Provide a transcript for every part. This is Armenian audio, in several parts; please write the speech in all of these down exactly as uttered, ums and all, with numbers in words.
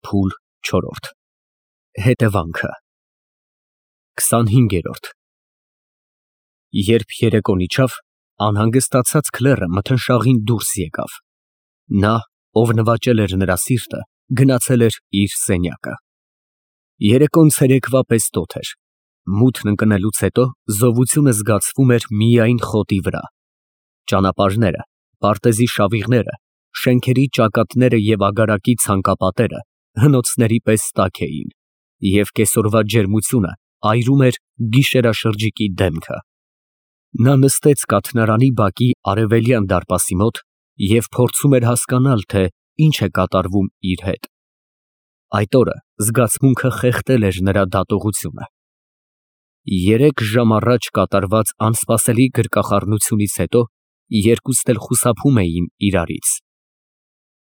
Փուլ չորրորդ Հետևանքը քսանհինգերորդ Երբ երեկոն իջավ, անհանգստացած Քլեռը մթնշաղին դուրս եկավ. նա, ով նվաճել էր նրա սիրտը, գնացել էր իր սենյակը։ Երեկոն ցերեկվա պես տոթ էր, մութն ընկնելուց հետո զովությունը զգացվում էր միայն խոտի վրա։ Ճանապարհները, պարտեզի շավիղները, շենքերի ճակատները և ագարակի ցանկապատերը հնոցների պես տաք էին, և կեսօրվա ջերմությունը այրում էր գիշերաշրջիկի դեմքը։ Նա նստեց կաթնարանի բակի արևելյան դարպասի մոտ և փորձում էր հասկանալ, թե ինչ է կատարվում իր հետ։ Այդ օրը զգացմունքը խեղդել էր նրա դատողությունը։ Երեք ժամ առաջ կատարված անսպասելի գրկախառնությունից հետո երկուսն էլ խուսափում էին իրարից։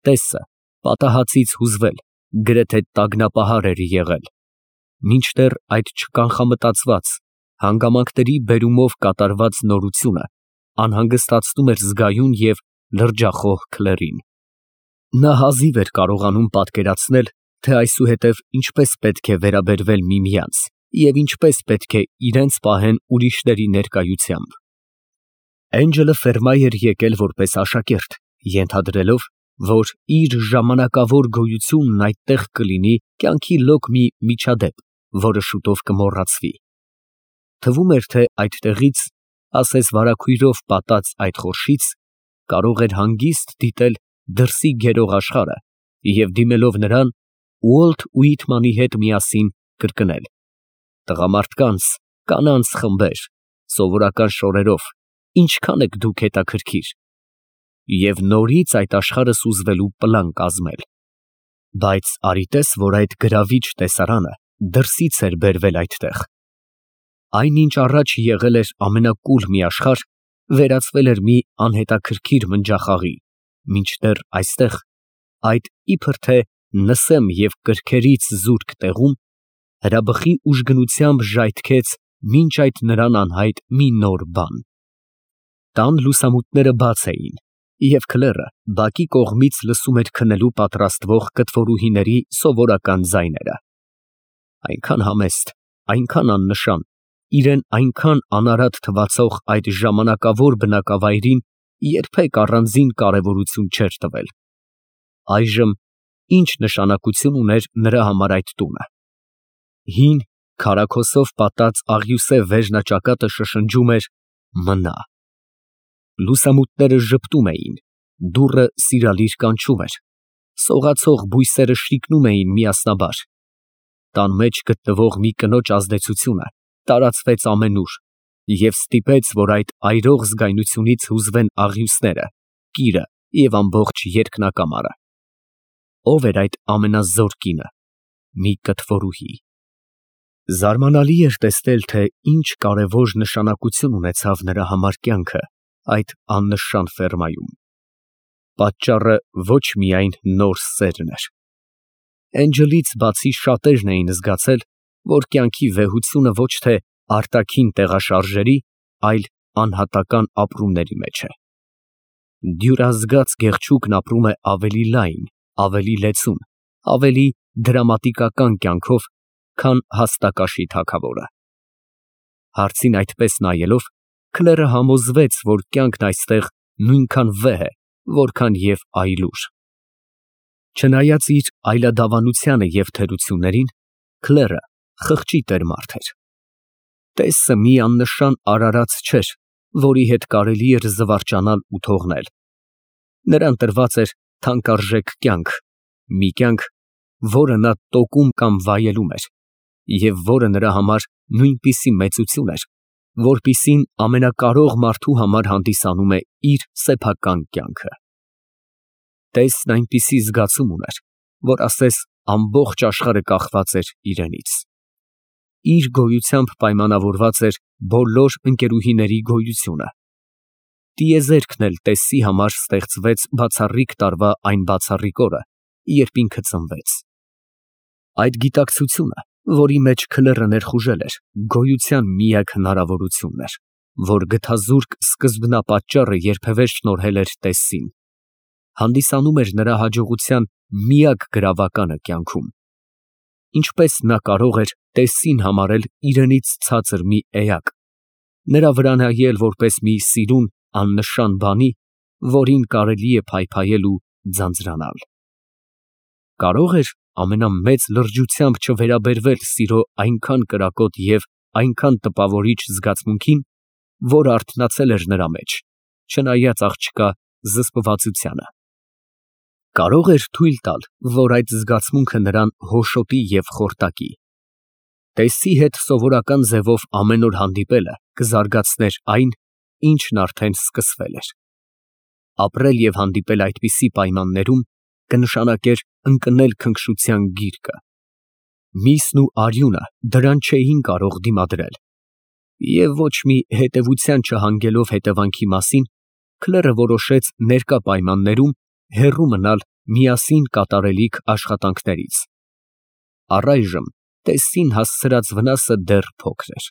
Տեսը պատահածից հուզվել, գրեթե տագնապահար էր եղել, մինչդեռ այդ չկանխամտածված, հանգամանքների բերումով կատարված նորությունը անհանգստացնում էր զգայուն և լրջախոհ Քլեռին։ Նա հազիվ էր կարողանում պատկերացնել, թե այսուհետև ինչպես պետք է վերաբերվել միմյանց և ինչպես պետք է իրենց պահեն ուրիշների ներկայությամբ։ Էնջելը ֆերմա էր եկել որպես աշակերտ, ենթադրելով, որ իր ժամանակավոր գոյությունն այդտեղ կլինի կյանքի լոկ մի միջադեպ, որը շուտով կմոռացվի։ Թվում էր, թե այդտեղից, ասես վարագույրով պատած այդ խորշից, կարող էր հանգիստ դիտել դրսի գերող աշխարհը և դիմելով նրան, Ուոլթ Ուիտմանի հետ միասին կրկնել. «Տղամարդկանց, կանանց խմբեր, սովորական շորերով, ինչքան եք դուք հետաքրքիր» և նորից այդ աշխարհը սուզվելու պլան կազմել։ Բայց արի տես, որ այդ գրավիչ տեսարանը դրսից էր բերվել այդտեղ։ Այն, ինչ առաջ եղել էր ամենակուլ մի աշխարհ, վերածվել էր մի անհետաքրքիր մնջախաղի, մինչդեռ այստեղ, այդ իբր թե նսեմ և կրքերից զուրկ տեղում, հրաբխի ուժգնությամբ ժայթքեց մինչ այդ նրան անհայտ մի նոր բան։ Տան լուսամուտները բաց էին, և Քլեռը բակի կողմից լսում էր քնելու պատրաստվող կտորուհիների սովորական ձայները։ Այնքան համեստ, այնքան աննշան, իրան այնքան անարատ թվացող այդ ժամանակավոր բնակավայրին երբեք առանձին կարևորություն չէր տվել։ Այժմ ի՞նչ նշանակություն ուներ նրա համար այդ տունը։ Հին, քարաքոսով պատած աղյուսե վերջնաճակատը շշնջում էր «մնա»։ Լուսամուտները ժպտում էին, դուռը սիրալիր կանչում էր, սողացող բույսերը շիկնում էին միասնաբար։ Տան մեջ գտնվող մի կնոջ ազդեցությունը տարածվեց ամենուր և ստիպեց, որ այդ այրող զգայունությունից հուզվեն աղյուսները, կիրը և ամբողջ երկնակամարը։ Ո՞վ էր այդ ամենազոր կինը։ Մի կտվորուհի։ Զարմանալի էր տեսնել, թե ինչ կարևոր նշանակություն ունեցավ նրա համար կյանքը այդ աննշան ֆերմայում։ Պատճառը ոչ միայն նոր սերն էր։ Էնջլից բացի շատերն էին զգացել, որ կյանքի վեհությունը ոչ թե արտաքին տեղաշարժերի, այլ անհատական ապրումների մեջ է։ Դյուրազգաց գեղչուկն ապրում է ավելի լայն, ավելի լեցուն, ավելի դրամատիկական կյանքով, քան հաստակաշի թագավորը։ Հարցին այդպես նայելով, Քլեռը համոզվեց, որ կյանքն այստեղ նույնքան վեհ է, որքան և այլուր։ Չնայած իր այլադավանությանը և թերություններին, Քլեռը խղճի տեր մարդ էր։ Տեսը մի աննշան արարած չէր, որի հետ կարելի էր զվարճանալ ու թողնել։ Նրան տրված էր թանկարժեք կյանք, մի կյանք, որը նա տոկում կամ վայելում էր, և որը նրա համար նույնպիսի մեծություն էր, որպիսին ամենակարող մարդու համար հանդիսանում է իր սեփական կյանքը։ Տեսն այնպիսի զգացում ուներ, որ ասես ամբողջ աշխարհը կախված էր իրենից։ Իր գոյությամբ պայմանավորված էր բոլոր ընկերուհիների գոյությունը։ Տիեզերքն էլ տեսի համար ստեղծվեց բացառիկ տարվա այն բացառիկ օրը, երբ ինքը ծնվեց։ Այդ գիտակցությունը, որի մեջ Քլեռը ներխուժել էր, գոյության միակ հնարավորությունն էր, որ գթազուրկ սկզբնապատճառը երբևէ շնորհել էր տեսին, հանդիսանում էր նրա հաջողության միակ գրավականը կյանքում։ Ինչպես նա կարող էր Տեսսին համարել իրենից ցածր մի էակ, նրա վրա նայել որպես մի սիրուն աննշան բանի, որին կարելի է փայփայել ու ձանձրանալ։ Կարող էր ամենամեծ լրջությամբ չվերաբերվել սիրո այնքան կրակոտ և այնքան տպավորիչ զգացմունքին, որ արթնացել էր նրա մեջ, չնայած աղջկա զսպվածությանը։ Կարող էր թույլ տալ, որ այդ զգացմունքը նրան հոշոտի և խորտակի։ Տեսսի հետ սովորական ձևով ամեն օր հանդիպելը կզարգացներ այն, ինչն արդեն սկսվել էր։ Ապրել և հանդիպել այդպիսի պայմաններում կնշանակեր ընկնել քնքշության գիրկը։ Միսն ու արյունը դրան չէին կարող դիմադրել, և ոչ մի հետևության չհանգելով հետևանքի մասին, Քլերը որոշեց ներկա պայմաններում հեռու մնալ միասին կատարելիք աշխատանքներից։ Առայժմ Տեսսին հասցրած վնասը դեռ փոքր էր։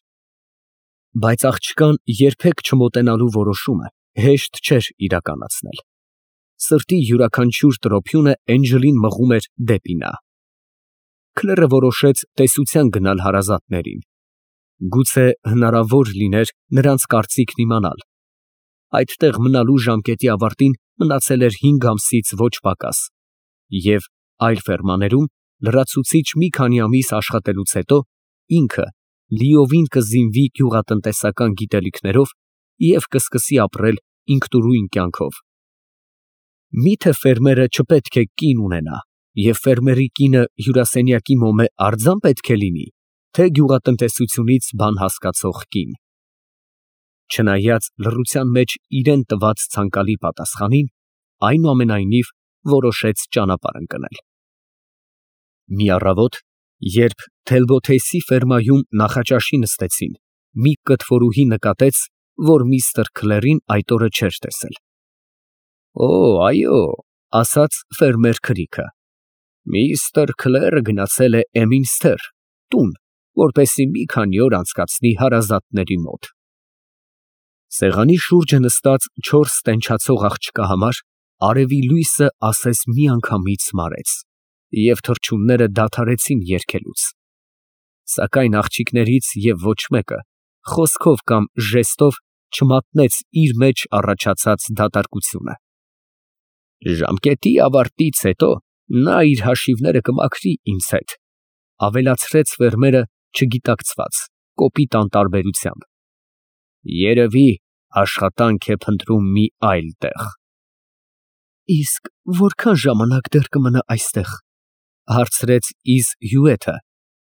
Բայց աղջկան երբեք չմոտենալու որոշումը հեշտ չէր իրականացնել։ Սրտի յուրաքանչյուր տրոփյունը Էնջելին մղում էր դեպի նա։ Քլերը որոշեց տեսության գնալ հարազատներին։ Գուցե հնարավոր լիներ նրանց կարծիքն իմանալ։ Այդտեղ մնալու ժամկետի ավարտին մնացել էր հինգ ամսից ոչ պակաս, և այլ ֆերմաներում լրացուցիչ մի քանի ամիս աշխատելուց հետո ինքը լիովին կզինվի գյուղատնտեսական գիտելիքներով և կսկսի ապրել ինքնուրույն կյանքով։ Մի՞թե ֆերմերը չպետք է կին ունենա, և ֆերմերի կինը հյուրասենյակի մոմե արձան պետք է լինի, թե գյուղատնտեսությունից բան հասկացող կին։ Չնայած լռության մեջ իրան տված ցանկալի պատասխանին, այնուամենայնիվ որոշեց ճանապարհ ընկնել։ Մի առավոտ, երբ Թելբոթեսի ֆերմայում նախաճաշի նստեցին, մի կտվորուհի նկատեց, որ միստր Քլերին այդ օրը չէր տեսել։ «Օ, այո», ասաց ֆերմեր Քրիքը, «միստր Քլերը գնացել է Էմինսթեր տուն, որպեսզի մի քանի օր անցկացնի հարազատների մոտ»։ Սեղանի շուրջը նստած չորս տենչացող աղջկա համար արևի լույսը ասես միանգամից մարեց, և թռչունները դադարեցին երգելուց։ Սակայն աղջիկներից և ոչ մեկը խոսքով կամ ժեստով չմատնեց իր մեջ առաջացած դատարկությունը։ «Ժամկետի ավարտից հետո նա իր հաշիվները կմաքրի ինձ հետ», ավելացրեց ֆերմերը չգիտակցված, կոպիտ անտարբերությամբ։ «Երևի աշխատանք է փնտրում մի այլ տեղ»։ «Իսկ որքան ժամանակ դեռ կմնա այստեղ», հարցրեց Իզ Հյուեթը,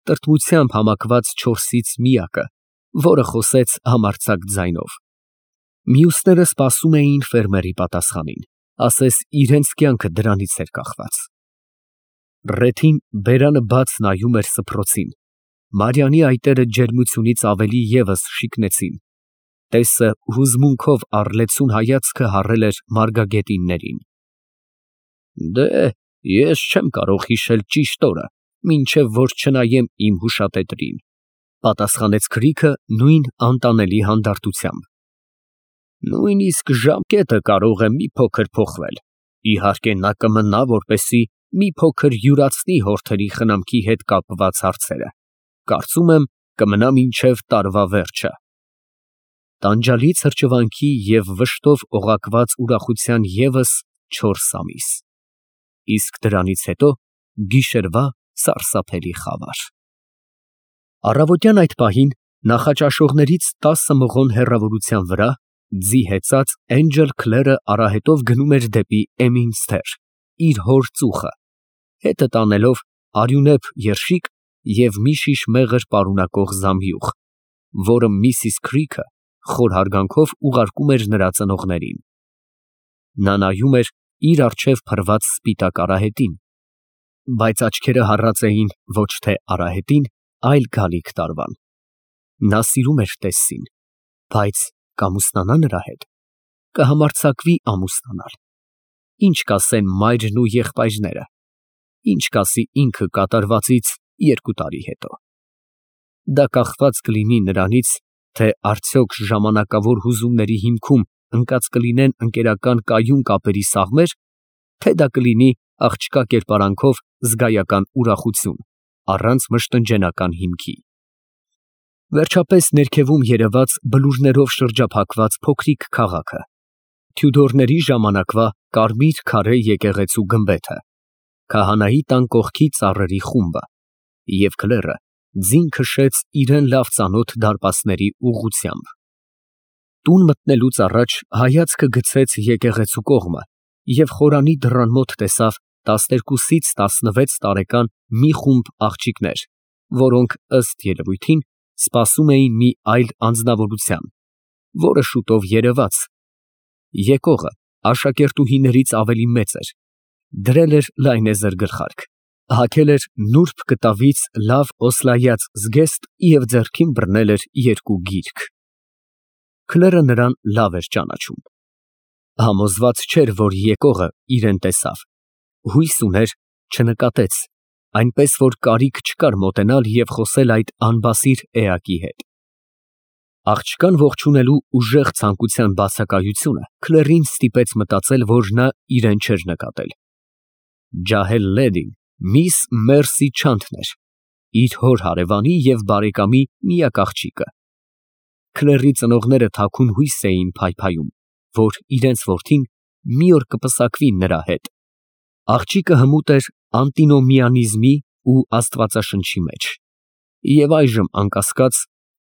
տրտմությամբ համակված չորսից միակը, որը խոսեց համարձակ ձայնով։ Մյուսները սպասում էին ֆերմերի պատասխանին, ասես իրենց կյանքը դրանից էր կախված։ Ռեթին բերանը բաց նայում էր սփռոցին, Մարիանի այտերը ջերմությունից ավելի ևս շիկնեցին, Տեսսը հուզմունքով առլեցուն հայացքը հառել էր մարգագետիններին։ «Դե, ես չեմ կարող հիշել ճիշտ օրը, մինչև որ չնայեմ իմ հուշատետրին», պատասխանեց Քրիքը նույն անտանելի հանդարտությամբ։ «Նույնիսկ ժամկետը կարող է մի փոքր փոխվել, իհարկե նա կմնա, որպեսզի մի փոքր յուրացնի հորթերի խնամքի հետ կապված հարցերը, կարծում եմ կմնա մինչև տարվա վերջը»։ Տանջալի ցրճվանքի և վշտով օղակված ուրախության ևս չորս ամիս, իսկ դրանից հետո գիշերվա սարսափելի խավար։ Առավոտյան այդ պահին նախաճաշողներից տասը մղոն հեռավորության վրա ձի հեծած Էնջել Քլերը արահետով գնում էր դեպի Էմինսթեր, իր հոր ծուխը, հետը տանելով արյունեփ երշիկ և մի շիշ մեղր պարունակող զամբյուղ, որը միսիս Քրիքը խոր հարգանքով ուղարկում էր նրա ծնողներին։ Նա նայում էր իր առջև փռված սպիտակ արահետին, բայց աչքերը հառած էին ոչ թե արահետին, այլ գալիք տարվան։ Նա սիրում էր Տեսսին, բայց կամուսնանա նրա հետ, կհամարձակվի ամուսնանալ։ Ինչ կասեն մայրն ու եղբայրները, ինչ կասի ինքը կատարվածից երկու տարի հետո։ Դա կախված կլինի նրանից, թե արդյոք ժամանակավոր հուզումների հիմքում ընկած կլինեն ընկերական կայուն կապերի սաղմեր, թե դա կլինի աղջկա կերպարանքով զգայական ուրախություն, առանց մշտնջենական հիմքի։ Վերջապես ներքևում երևաց բլուրներով շրջափակված փոքրիկ քաղաքը, Թյուդորների ժամանակվա կարմիր քարե եկեղեցու գմբեթը, քահանայի տան կողքի ծառերի խումբը, և քլերը ձին քշեց իրեն լավ ծանոթ դարպասների ուղղությամբ։ Տուն մտնելուց առաջ հայացքը գցեց եկեղեցու կողմը և խորանի դռան մոտ տեսավ տասներկուսից տասնվեց տարեկան մի խումբ աղջիկներ, որոնք, ըստ երևույթին, սպասում էին մի այլ անձնավորության, որը շուտով երևաց։ Եկողը աշակերտուհիներից ավելի մեծ էր, դրել էր լայնեզր գլխարկ, հագել էր նուրբ կտավից լավ օսլայած զգեստ և ձեռքին բռնել էր երկու գիրք։ Քլերը նրան լավ էր ճանաչում։ Համոզված չէր, որ եկողը իրեն տեսավ, հույս ուներ, չնկատեց, այնպես որ կարիք չկար մոտենալ և խոսել այդ անբասիր էակի հետ։ Աղջկան ողջունելու ուժեղ ցանկության բացակայությունը քլերին ստիպեց մտածել, որ նա իրեն չէր նկատել։ Ջահել լեդին միս Մերսի Չանթն էր, իր հոր հարևանի և բարեկամի միակ աղջիկը։ Քլերի ծնողները թաքուն հույս էին փայփայում, որ իրենց որդին մի օր կպսակվի նրա հետ։ Աղջիկը հմուտ էր անտինոմիանիզմի ու աստվածաշնչի մեջ, և այժմ, անկասկած,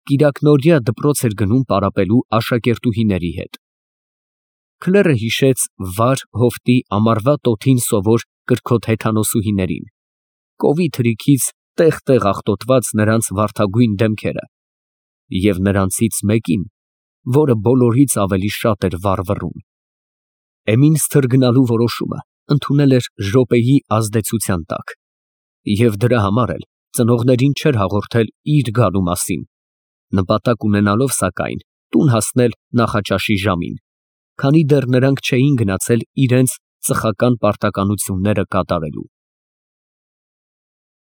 կիրակնօրյա դպրոց էր գնում պարապելու աշակերտուհիների հետ։ Քլերը հիշեց վար հովտի ամառվա տոթին սովոր կրքոտ հեթանոսուհիներին, կովի թրիքից տեղ֊տեղ աղտոտված նրանց վարդագույն դեմքերը և նրանցից մեկին, որը բոլորից ավելի շատ էր վառվռուն։ Էմին սթրգնալու որոշումը ընդունել էր րոպեի ազդեցության տակ և դրա համար էլ ծնողներին չէր հաղորդել իր գալու մասին, նպատակ ունենալով, սակայն, տուն հասնել նախաճաշի ժամին, քանի դեռ նրանք չէին գնացել իրենց ծխական պարտականությունները կատարելու։